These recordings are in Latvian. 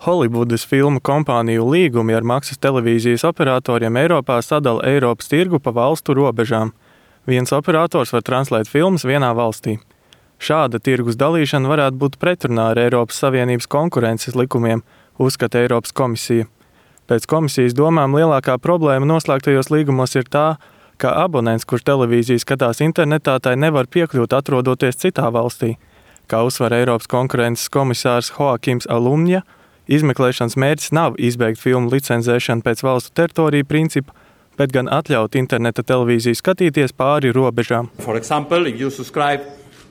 Holivudas filmu kompāniju līgumi ar maksas televīzijas operatoriem Eiropā sadala Eiropas tirgu pa valstu robežām. Viens operators var translēt filmas vienā valstī. Šāda tirgus dalīšana varētu būt pretrunā ar Eiropas Savienības konkurences likumiem, uzskata Eiropas komisija. Pēc komisijas domām lielākā problēma noslēgtajos līgumos ir tā, ka abonents, kurš televīziju skatās internetā, tai nevar piekļūt atrodoties citā valstī. Kā uzsver Eiropas konkurences komisārs Joakims Almunia, izmeklēšanas mērķis nav izbeigt filmu licencēšanu pēc valstu teritoriju principa, bet gan atļaut interneta televīziju skatīties pāri robežām. For example, if you subscribe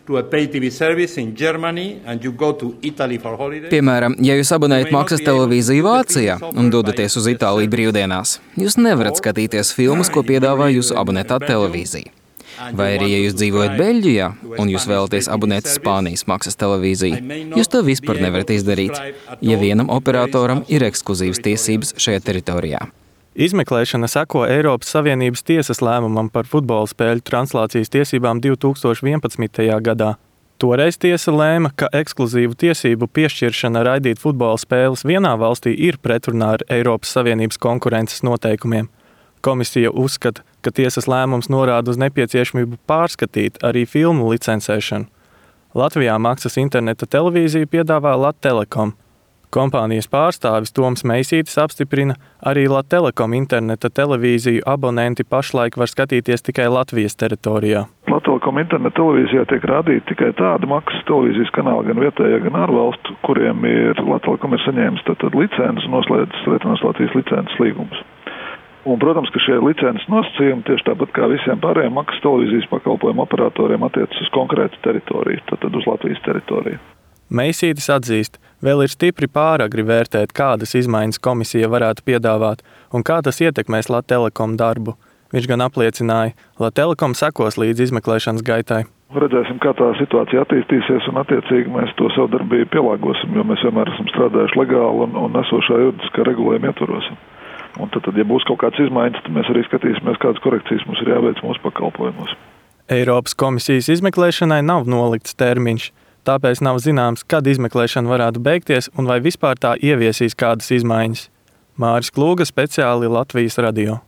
to a pay TV service in Germany and you go to Italy for holiday. Piemēram, ja jūs abonējat maksas televīziju Vācijā un dodaties uz Itāliju brīvdienās, jūs nevarat skatīties filmas, ko piedāvā jūsu abonētā televīzija. Vai arī, ja jūs dzīvojat Beļģijā un jūs vēlaties abonēt Spānijas maksas televīziju, jūs to vispār nevarat izdarīt, ja vienam operatoram ir ekskluzīvas tiesības šajā teritorijā. Izmeklēšana seko Eiropas Savienības tiesas lēmumam par futbola spēļu translācijas tiesībām 2011. gadā. Toreiz tiesa lēma, ka ekskluzīvu tiesību piešķiršana raidīt futbola spēles vienā valstī ir pretrunā ar Eiropas Savienības konkurences noteikumiem. Komisija uzskata, ka tiesas lēmums norāda uz nepieciešamību pārskatīt arī filmu licencēšanu. Latvijā maksas interneta televīziju piedāvā Latelekom. Kompānijas pārstāvis Toms Meisītis apstiprina, arī Latelekom interneta televīziju abonenti pašlaik var skatīties tikai Latvijas teritorijā. Latelekom interneta televīzijā tiek rādīti tikai tādi maksas televīzijas kanāli, gan vietējā, gan ārvalstu, kuriem Latelekom ir saņēmis tad licences un noslēdzis Lietuvas Latvijas licences līgumus. Un, protams, ka šie licences nosacījumi tieši tāpat kā visiem pārējiem maksas televīzijas pakalpojumu operatoriem attiecas uz konkrētu teritoriju, tad uz Latvijas teritoriju. Meisītis atzīst, vēl ir stipri pāragri vērtēt, kādas izmaiņas komisija varētu piedāvāt un kā tas ietekmēs Latelekom darbu. Viņš gan apliecināja, Latelekom sekos līdz izmeklēšanas gaitai. Redzēsim, kā tā situācija attīstīsies un attiecīgi mēs to savu darbību pielāgosim, jo mēs vienmēr esam strādājuši legāli un esošā juridiskā regulējuma ietvaros. Un tad, ja būs kaut kāds izmaiņas, tad mēs arī skatīsimies, kādas korekcijas mums ir jāveic mūsu pakalpojumos. Eiropas komisijas izmeklēšanai nav nolikts termiņš, tāpēc nav zināms, kad izmeklēšana varētu beigties un vai vispār tā ieviesīs kādas izmaiņas. Māris Klūga, speciāli Latvijas radio.